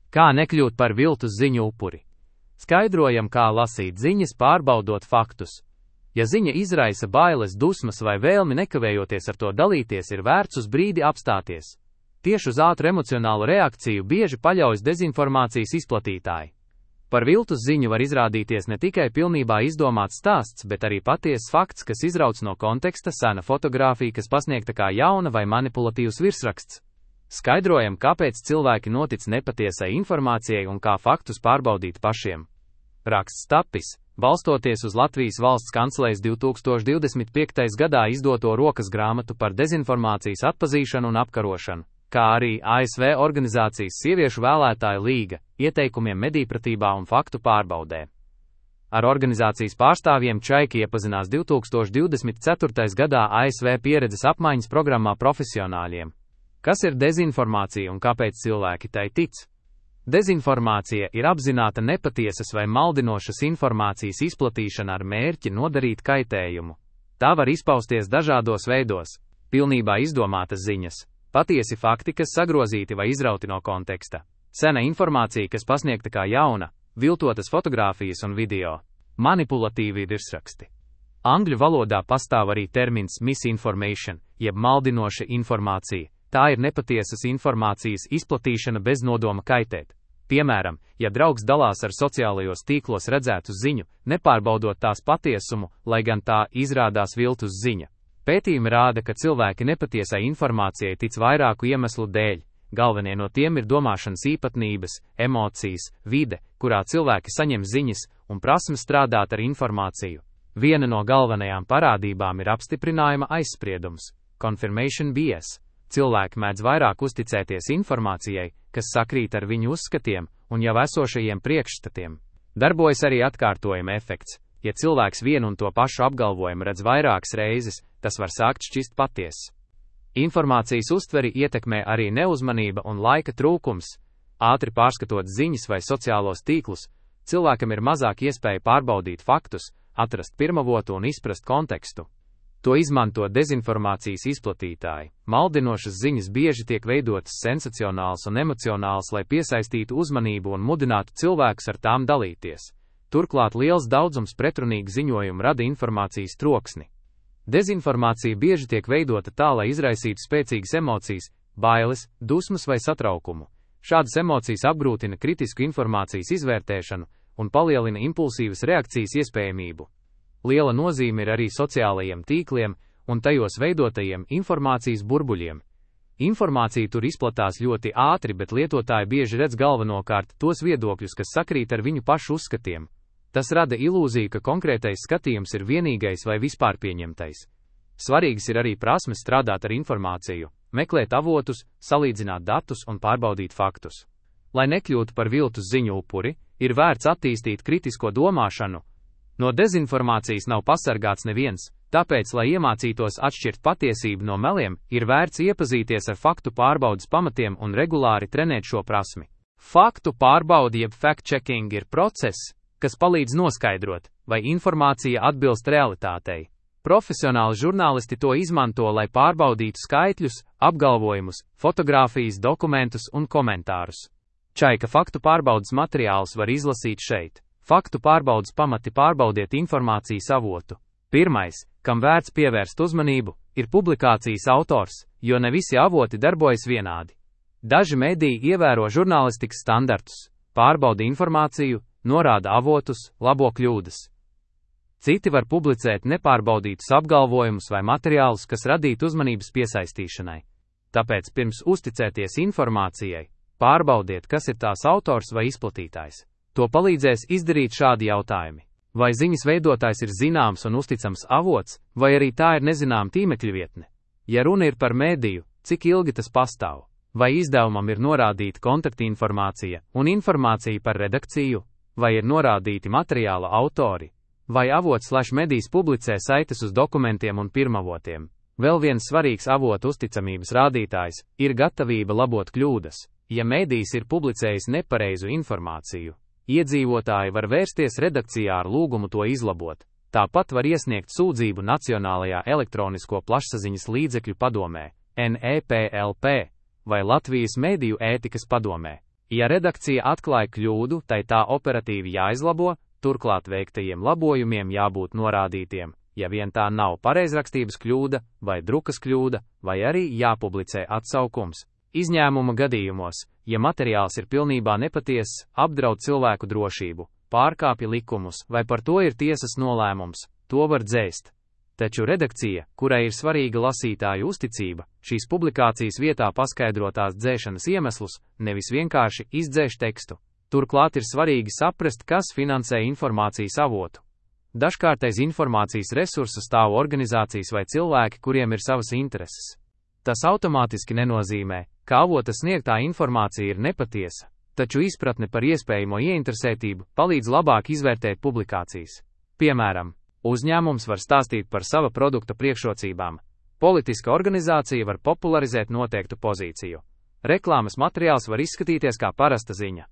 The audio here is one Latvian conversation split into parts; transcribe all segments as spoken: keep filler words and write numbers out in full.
Kā nekļūt par viltus ziņu upuri? Skaidrojam, kā lasīt ziņas, pārbaudot faktus. Ja ziņa izraisa bailes, dusmas vai vēlmi nekavējoties ar to dalīties, ir vērts uz brīdi apstāties. Tieši uz ātru emocionālu reakciju bieži paļaujas dezinformācijas izplatītāji. Par viltus ziņu var izrādīties ne tikai pilnībā izdomāts stāsts, bet arī patiesas fakts, kas izrauts no konteksta, sena fotogrāfija, kas pasniegta kā jauna vai manipulatīvs virsraksts. Skaidrojam, kāpēc cilvēki notic nepatiesai informācijai un kā faktus pārbaudīt pašiem. Raksts tapis, balstoties uz Latvijas valsts kancelejas divi tūkstoši divdesmit piektajā gadā izdoto rokas grāmatu par dezinformācijas atpazīšanu un apkarošanu, kā arī A S V organizācijas Sieviešu vēlētāju līga, ieteikumiem medijpratībā un faktu pārbaudē. Ar organizācijas pārstāvjiem Čaiki iepazinās divi tūkstoši divdesmit ceturtajā gadā A S V pieredzes apmaiņas programmā profesionāļiem. Kas ir dezinformācija un kāpēc cilvēki tai tic? Dezinformācija ir apzināta nepatiesas vai maldinošas informācijas izplatīšana ar mērķi nodarīt kaitējumu. Tā var izpausties dažādos veidos: pilnībā izdomātas ziņas, patiesi fakti, kas sagrozīti vai izrauti no konteksta, sena informācija, kas pasniegta kā jauna, viltotas fotogrāfijas un video, manipulatīvi virsraksti. Angļu valodā pastāv arī termins misinformation, jeb maldinoša informācija. Tā ir nepatiesas informācijas izplatīšana bez nodoma kaitēt. Piemēram, ja draugs dalās ar sociālajos tīklos redzētu ziņu, nepārbaudot tās patiesumu, lai gan tā izrādās viltus ziņa. Pētījumi rāda, ka cilvēki nepatiesai informācijai tic vairāku iemeslu dēļ. Galvenie no tiem ir domāšanas īpatnības, emocijas, vide, kurā cilvēki saņem ziņas, un prasme strādāt ar informāciju. Viena no galvenajām parādībām ir apstiprinājuma aizspriedums, confirmation bias. Cilvēki mēdz vairāk uzticēties informācijai, kas sakrīt ar viņu uzskatiem un jau esošajiem priekšstatiem. Darbojas arī atkārtojuma efekts. Ja cilvēks vienu un to pašu apgalvojumu redz vairākas reizes, tas var sākt šķist patiess. Informācijas uztveri ietekmē arī neuzmanība un laika trūkums. Ātri pārskatot ziņas vai sociālos tīklus, cilvēkam ir mazāk iespēja pārbaudīt faktus, atrast pirmavotu un izprast kontekstu. To izmanto dezinformācijas izplatītāji. Maldinošas ziņas bieži tiek veidotas sensacionāls un emocionāls, lai piesaistītu uzmanību un mudinātu cilvēkus ar tām dalīties. Turklāt liels daudzums pretrunīgu ziņojumu rada informācijas troksni. Dezinformācija bieži tiek veidota tā, lai izraisītu spēcīgas emocijas, bailes, dusmas vai satraukumu. Šādas emocijas apgrūtina kritisku informācijas izvērtēšanu un palielina impulsīvas reakcijas iespējamību. Liela nozīme ir arī sociālajiem tīkliem un tajos veidotajiem informācijas burbuļiem. Informācija tur izplatās ļoti ātri, bet lietotāji bieži redz galvenokārt tos viedokļus, kas sakrīt ar viņu pašu uzskatiem. Tas rada ilūziju, ka konkrētais skatījums ir vienīgais vai vispār pieņemtais. Svarīgs ir arī prasmes strādāt ar informāciju, meklēt avotus, salīdzināt datus un pārbaudīt faktus. Lai nekļūtu par viltus ziņu upuri, ir vērts attīstīt kritisko domāšanu. No dezinformācijas nav pasargāts neviens, tāpēc, lai iemācītos atšķirt patiesību no meliem, ir vērts iepazīties ar faktu pārbaudes pamatiem un regulāri trenēt šo prasmi. Faktu pārbaudi jeb fact-checking ir process, kas palīdz noskaidrot, vai informācija atbilst realitātei. Profesionāli žurnālisti to izmanto, lai pārbaudītu skaitļus, apgalvojumus, fotogrāfijas, dokumentus un komentārus. Čaika faktu pārbaudes materiālus var izlasīt šeit. Faktu pārbaudes pamati: pārbaudiet informācijas avotu. Pirmais, kam vērts pievērst uzmanību, ir publikācijas autors, jo ne visi avoti darbojas vienādi. Daži mediji ievēro žurnālistikas standartus, pārbauda informāciju, norāda avotus, labo kļūdas. Citi var publicēt nepārbaudītus apgalvojumus vai materiālus, kas radītu uzmanības piesaistīšanai. Tāpēc pirms uzticēties informācijai, pārbaudiet, kas ir tās autors vai izplatītājs. To palīdzēs izdarīt šādi jautājumi. Vai ziņas veidotājs ir zināms un uzticams avots, vai arī tā ir nezināma tīmekļa vietne? Ja runa ir par mēdīju, cik ilgi tas pastāv? Vai izdevumam ir norādīta kontaktinformācija un informācija par redakciju? Vai ir norādīti materiāla autori? Vai avots slash medijs publicē saites uz dokumentiem un pirmavotiem? Vēl viens svarīgs avotu uzticamības rādītājs ir gatavība labot kļūdas. Ja medijs ir publicējis nepareizu informāciju, iedzīvotāji var vērsties redakcijā ar lūgumu to izlabot. Tāpat var iesniegt sūdzību Nacionālajā elektronisko plašsaziņas līdzekļu padomē, N E P L P, vai Latvijas mediju ētikas padomē. Ja redakcija atklāja kļūdu, tai tā operatīvi jāizlabo, turklāt veiktajiem labojumiem jābūt norādītiem, ja vien tā nav pareizrakstības kļūda vai drukas kļūda, vai arī jāpublicē atsaukums. Izņēmuma gadījumos, ja materiāls ir pilnībā nepatiess, apdraud cilvēku drošību, pārkāpja likumus vai par to ir tiesas nolēmums, to var dzēst. Taču redakcija, kurai ir svarīga lasītāju uzticība, šīs publikācijas vietā paskaidro tās dzēšanas iemeslus, nevis vienkārši izdzēš tekstu. Turklāt ir svarīgi saprast, kas finansē informācijas avotu. Dažkārt aiz informācijas resursa stāv organizācijas vai cilvēki, kuriem ir savas intereses. Tas automātiski nenozīmē, ka avota sniegtā informācija ir nepatiesa, taču izpratne par iespējamo ieinteresētību palīdz labāk izvērtēt publikācijas. Piemēram, uzņēmums var stāstīt par sava produkta priekšrocībām, politiska organizācija var popularizēt noteiktu pozīciju, reklāmas materiāls var izskatīties kā parasta ziņa.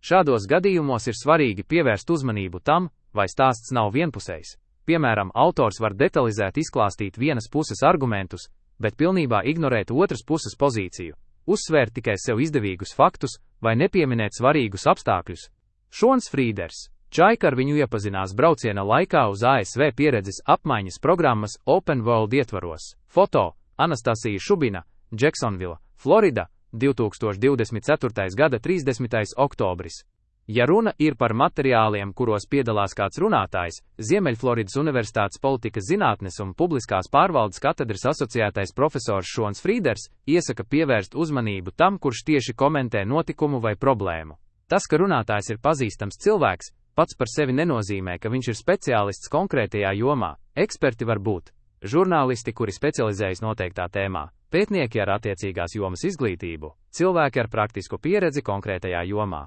Šādos gadījumos ir svarīgi pievērst uzmanību tam, vai stāsts nav vienpusējs. Piemēram, autors var detalizēt izklāstīt vienas puses argumentus, bet pilnībā ignorēt otras puses pozīciju, uzsvērt tikai sev izdevīgus faktus vai nepieminēt svarīgus apstākļus. Šons Frīders. Čaika ar viņu iepazinās brauciena laikā uz A S V pieredzes apmaiņas programmas Open World ietvaros. Foto Anastasija Šubina, Džeksonvila, Florida, divi tūkstoši divdesmit ceturtais gada trīsdesmitais oktobris. Ja runa ir par materiāliem, kuros piedalās kāds runātājs, Ziemeļfloridas Universitātes politikas zinātnes un publiskās pārvaldes katedras asociētais profesors Šons Frīders iesaka pievērst uzmanību tam, kurš tieši komentē notikumu vai problēmu. Tas, ka runātājs ir pazīstams cilvēks, pats par sevi nenozīmē, ka viņš ir speciālists konkrētajā jomā. Eksperti var būt žurnālisti, kuri specializējas noteiktā tēmā, pētnieki ar attiecīgās jomas izglītību, cilvēki ar praktisku pieredzi konkrētajā jomā.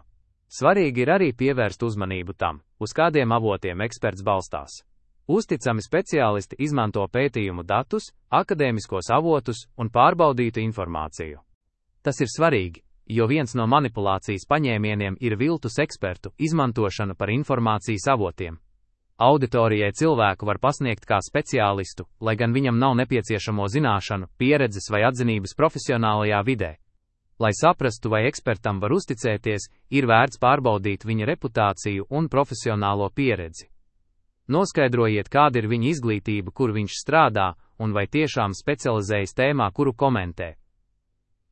Svarīgi ir arī pievērst uzmanību tam, uz kādiem avotiem eksperts balstās. Uzticami speciālisti izmanto pētījumu datus, akadēmiskos avotus un pārbaudītu informāciju. Tas ir svarīgi, jo viens no manipulācijas paņēmieniem ir viltus ekspertu izmantošana par informācijas avotiem. Auditorijai cilvēku var pasniegt kā speciālistu, lai gan viņam nav nepieciešamo zināšanu, pieredzes vai atzinības profesionālajā vidē. Lai saprastu, vai ekspertam var uzticēties, ir vērts pārbaudīt viņa reputāciju un profesionālo pieredzi. Noskaidrojiet, kāda ir viņa izglītība, kur viņš strādā, un vai tiešām specializējas tēmā, kuru komentē.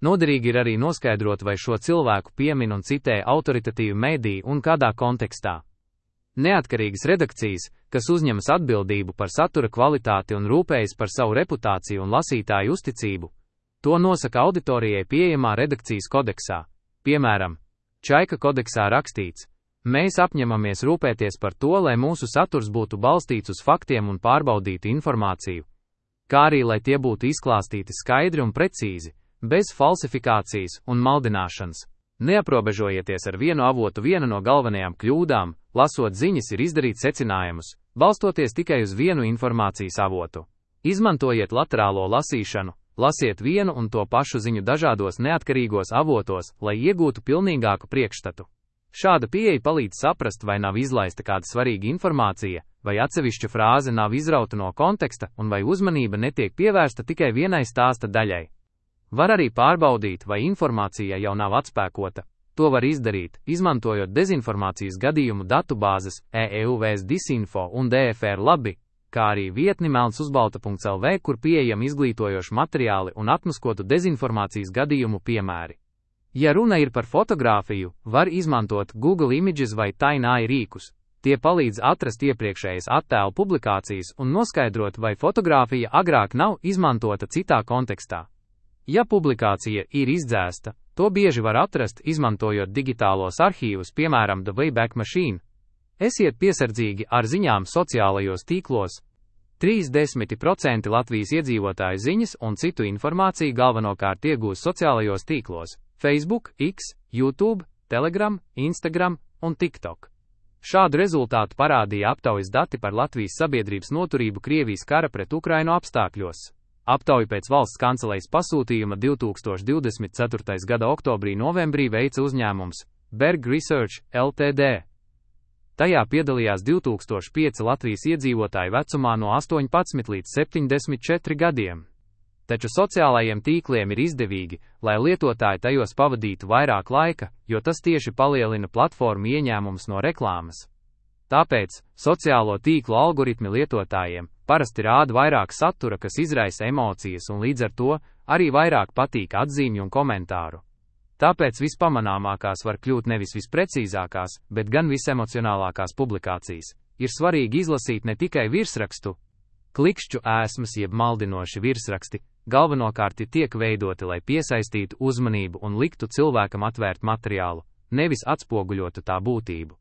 Noderīgi ir arī noskaidrot, vai šo cilvēku piemin un citē autoritatīvi mediji un kādā kontekstā. Neatkarīgas redakcijas, kas uzņemas atbildību par satura kvalitāti un rūpējas par savu reputāciju un lasītāju uzticību, to nosaka auditorijai pieejamā redakcijas kodeksā. Piemēram, Čaika kodeksā rakstīts: mēs apņemamies rūpēties par to, lai mūsu saturs būtu balstīts uz faktiem un pārbaudītu informāciju, kā arī lai tie būtu izklāstīti skaidri un precīzi, bez falsifikācijas un maldināšanas. Neaprobežojieties ar vienu avotu. Viena no galvenajām kļūdām, lasot ziņas, ir izdarīt secinājumus, balstoties tikai uz vienu informācijas avotu. Izmantojiet laterālo lasīšanu, lasiet vienu un to pašu ziņu dažādos neatkarīgos avotos, lai iegūtu pilnīgāku priekšstatu. Šāda pieeja palīdz saprast, vai nav izlaista kāda svarīga informācija, vai atsevišķa frāze nav izrauta no konteksta, un vai uzmanība netiek pievērsta tikai vienai stāsta daļai. Var arī pārbaudīt, vai informācija jau nav atspēkota. To var izdarīt, izmantojot dezinformācijas gadījumu datubāzes E E U V S Disinfo un D F R Labi, kā arī vietni melns uz balta punkts L V, kur pieejami izglītojoši materiāli un atmaskotu dezinformācijas gadījumu piemēri. Ja runa ir par fotogrāfiju, var izmantot Google Images vai Tainai rīkus. Tie palīdz atrast iepriekšējas attēlu publikācijas un noskaidrot, vai fotogrāfija agrāk nav izmantota citā kontekstā. Ja publikācija ir izdzēsta, to bieži var atrast, izmantojot digitālos arhīvus, piemēram, The Wayback Machine. Esiet piesardzīgi ar ziņām sociālajos tīklos. trīsdesmit procenti Latvijas iedzīvotāju ziņas un citu informāciju galvenokārt iegūst sociālajos tīklos – Facebook, X, YouTube, Telegram, Instagram un TikTok. Šādu rezultātu parādīja aptaujas dati par Latvijas sabiedrības noturību Krievijas kara pret Ukrainu apstākļos. Aptauju pēc valsts kancelejas pasūtījuma divi tūkstoši divdesmit ceturtais gada oktobrī-novembrī veica uzņēmums Berg Research L T D. Tajā piedalījās divi tūkstoši pieci Latvijas iedzīvotāji vecumā no astoņpadsmit līdz septiņdesmit četriem gadiem. Taču sociālajiem tīkliem ir izdevīgi, lai lietotāji tajos pavadītu vairāk laika, jo tas tieši palielina platformu ieņēmumus no reklāmas. Tāpēc sociālo tīklu algoritmi lietotājiem parasti rāda vairāk satura, kas izraisa emocijas un līdz ar to arī vairāk patīk atzīmju un komentāru. Tāpēc vispamanāmākās var kļūt nevis visprecīzākās, bet gan visemocionālākās publikācijas. Ir svarīgi izlasīt ne tikai virsrakstu. Klikšķu ēsmas jeb maldinoši virsraksti galvenokārt tiek veidoti, lai piesaistītu uzmanību un liktu cilvēkam atvērt materiālu, nevis atspoguļotu tā būtību.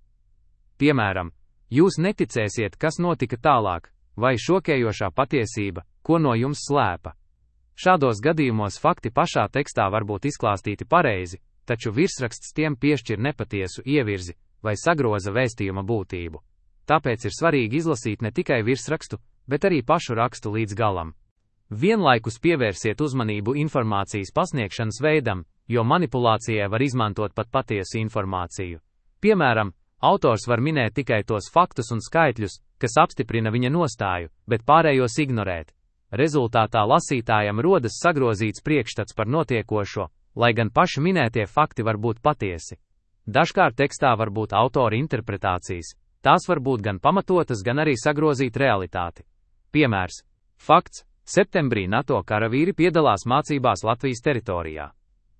Piemēram, jūs neticēsiet, kas notika tālāk, vai šokējošā patiesība, ko no jums slēpa. Šādos gadījumos fakti pašā tekstā var būt izklāstīti pareizi, taču virsraksts tiem piešķir nepatiesu ievirzi vai sagroza vēstījuma būtību. Tāpēc ir svarīgi izlasīt ne tikai virsrakstu, bet arī pašu rakstu līdz galam. Vienlaikus pievērsiet uzmanību informācijas pasniegšanas veidam, jo manipulācijai var izmantot pat patiesu informāciju. Piemēram, autors var minēt tikai tos faktus un skaitļus, kas apstiprina viņa nostāju, bet pārējos ignorēt. Rezultātā lasītājam rodas sagrozīts priekšstats par notiekošo, lai gan paši minētie fakti var būt patiesi. Dažkārt tekstā var būt autora interpretācijas, tās var būt gan pamatotas, gan arī sagrozīt realitāti. Piemērs. Fakts. Septembrī NATO karavīri piedalās mācībās Latvijas teritorijā.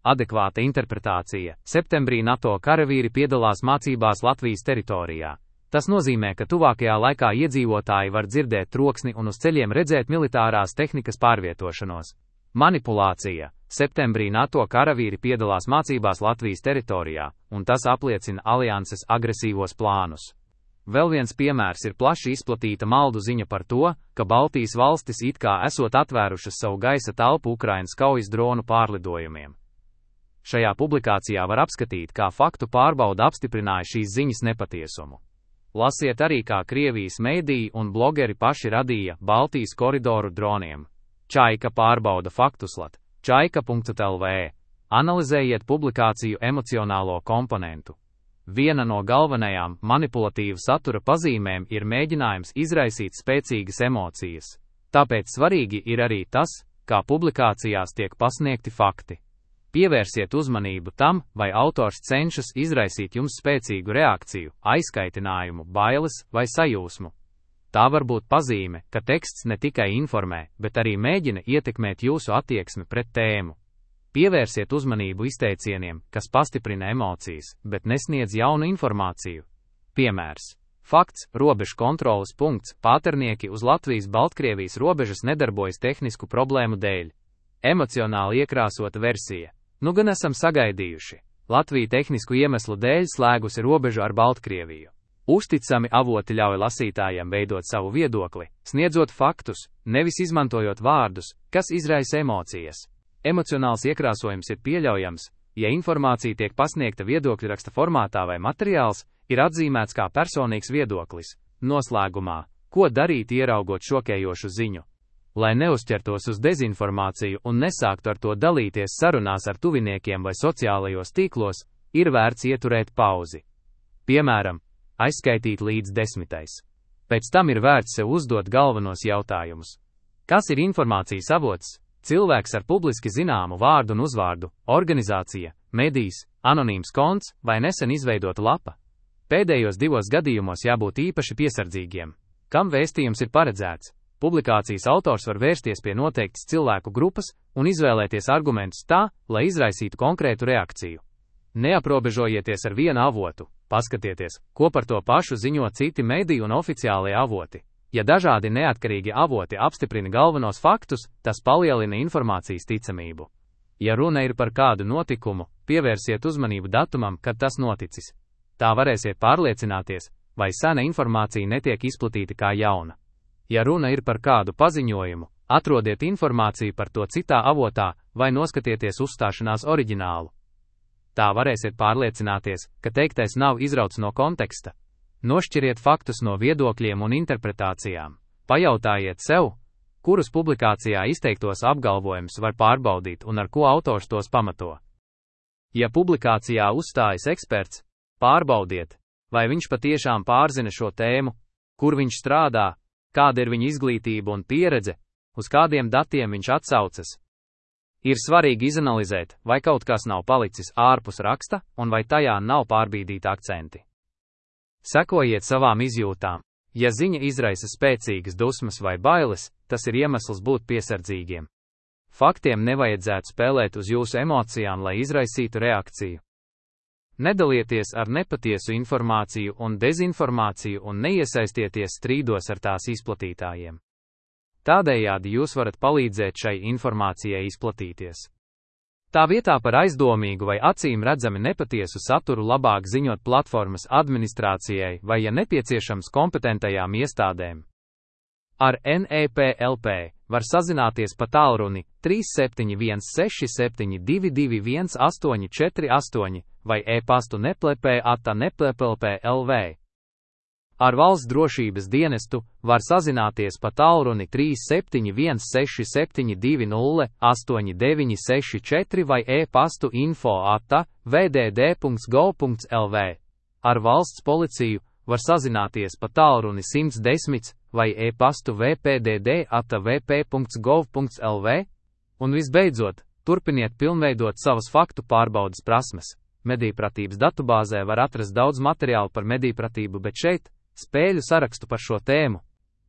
Adekvāta interpretācija. Septembrī NATO karavīri piedalās mācībās Latvijas teritorijā. Tas nozīmē, ka tuvākajā laikā iedzīvotāji var dzirdēt troksni un uz ceļiem redzēt militārās tehnikas pārvietošanos. Manipulācija. Septembrī NATO karavīri piedalās mācībās Latvijas teritorijā, un tas apliecina alianses agresīvos plānus. Vēl viens piemērs ir plaši izplatīta maldu ziņa par to, ka Baltijas valstis it kā esot atvērušas savu gaisa telpu Ukrainas kaujas dronu pārlidojumiem. Šajā publikācijā var apskatīt, kā faktu pārbauda apstiprināja šīs ziņas nepatiesumu. Lasiet arī, kā Krievijas mēdīji un blogeri paši radīja Baltijas koridoru droniem. Čaika pārbauda faktuslat. čaika punkts el vē. Analizējiet publikāciju emocionālo komponentu. Viena no galvenajām manipulatīva satura pazīmēm ir mēģinājums izraisīt spēcīgas emocijas. Tāpēc svarīgi ir arī tas, kā publikācijās tiek pasniegti fakti. Pievērsiet uzmanību tam, vai autors cenšas izraisīt jums spēcīgu reakciju, aizkaitinājumu, bailes vai sajūsmu. Tā var būt pazīme, ka teksts ne tikai informē, bet arī mēģina ietekmēt jūsu attieksmi pret tēmu. Pievērsiet uzmanību izteicieniem, kas pastiprina emocijas, bet nesniedz jaunu informāciju. Piemērs. Fakts. Robežu kontroles punkts. Pāternieki uz Latvijas-Baltkrievijas robežas nedarbojas tehnisku problēmu dēļ. Emocionāli iekrāsota versija. Nu gan esam sagaidījuši. Latvija tehnisku iemeslu dēļ slēgusi robežu ar Baltkrieviju. Uzticami avoti ļauj lasītājiem veidot savu viedokli, sniedzot faktus, nevis izmantojot vārdus, kas izraisa emocijas. Emocionāls iekrāsojums ir pieļaujams, ja informācija tiek pasniegta viedokļu raksta formātā vai materiāls ir atzīmēts kā personīgs viedoklis. Noslēgumā, ko darīt ieraugot šokējošu ziņu? Lai neuzķertos uz dezinformāciju un nesāktu ar to dalīties sarunās ar tuviniekiem vai sociālajos tīklos, ir vērts ieturēt pauzi. Piemēram, aizskaitīt līdz desmitais. Pēc tam ir vērts sev uzdot galvenos jautājumus. Kas ir informācijas avots? Cilvēks ar publiski zināmu vārdu un uzvārdu, organizācija, medijs, anonīms konts vai nesen izveidota lapa. Pēdējos divos gadījumos jābūt īpaši piesardzīgiem. Kam vēstījums ir paredzēts? Publikācijas autors var vērsties pie noteiktas cilvēku grupas un izvēlēties argumentus tā, lai izraisītu konkrētu reakciju. Neaprobežojieties ar vienu avotu, paskatieties, ko par to pašu ziņo citi mediji un oficiālie avoti. Ja dažādi neatkarīgi avoti apstiprina galvenos faktus, tas palielina informācijas ticamību. Ja runa ir par kādu notikumu, pievērsiet uzmanību datumam, kad tas noticis. Tā varēsiet pārliecināties, vai sena informācija netiek izplatīta kā jauna. Ja runa ir par kādu paziņojumu, atrodiet informāciju par to citā avotā vai noskatieties uzstāšanās oriģinālu. Tā varēsiet pārliecināties, ka teiktais nav izrauts no konteksta. Nošķiriet faktus no viedokļiem un interpretācijām. Pajautājiet sev, kurus publikācijā izteiktos apgalvojumus var pārbaudīt un ar ko autors tos pamato. Ja publikācijā uzstājas eksperts, pārbaudiet, vai viņš patiešām pārzina šo tēmu, kur viņš strādā, kāda ir viņa izglītība un pieredze, uz kādiem datiem viņš atsaucas. Ir svarīgi izanalizēt, vai kaut kas nav palicis ārpus raksta, un vai tajā nav pārbīdīti akcenti. Sekojiet savām izjūtām. Ja ziņa izraisa spēcīgas dusmas vai bailes, tas ir iemesls būt piesardzīgiem. Faktiem nevajadzētu spēlēt uz jūsu emocijām, lai izraisītu reakciju. Nedalieties ar nepatiesu informāciju un dezinformāciju un neiesaistieties strīdos ar tās izplatītājiem. Tādējādi jūs varat palīdzēt šai informācijai izplatīties. Tā vietā par aizdomīgu vai acīm redzami nepatiesu saturu labāk ziņot platformas administrācijai vai, ja nepieciešams, kompetentajām iestādēm. Ar N E P L P var sazināties pa tālruni trīs septiņi viens seši septiņi divi divi viens astoņi četri astoņi vai e-pastu neplepē ata neplepelp L V. Ar valsts drošības dienestu var sazināties pa tālruni trīs septiņi viens seši septiņi divi nulle astoņi deviņi seši četri vai e-pastu info ata v d d punkts gov punkts L V. Ar valsts policiju var sazināties pa tālruni simt desmit vai e-pastu v p d d ata v p punkts gov punkts L V. Un visbeidzot, turpiniet pilnveidot savas faktu pārbaudes prasmes. Medijpratības datubāzē var atrast daudz materiālu par medijpratību, bet šeit spēļu sarakstu par šo tēmu.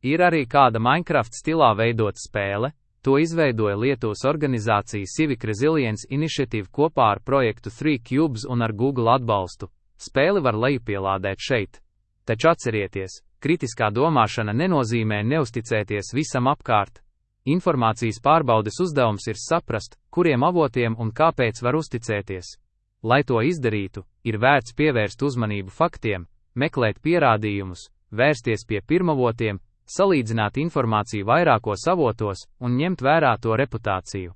Ir arī kāda Minecraft stilā veidota spēle, to izveidoja Lietuvas organizācija Civic Resilience Initiative kopā ar projektu trīs Cubes un ar Google atbalstu. Spēli var lejupielādēt šeit. Taču atcerieties, kritiskā domāšana nenozīmē neusticēties visam apkārt. Informācijas pārbaudes uzdevums ir saprast, kuriem avotiem un kāpēc var uzticēties. Lai to izdarītu, ir vērts pievērst uzmanību faktiem, meklēt pierādījumus, vērsties pie pirmavotiem, salīdzināt informāciju vairākos avotos un ņemt vērā to reputāciju.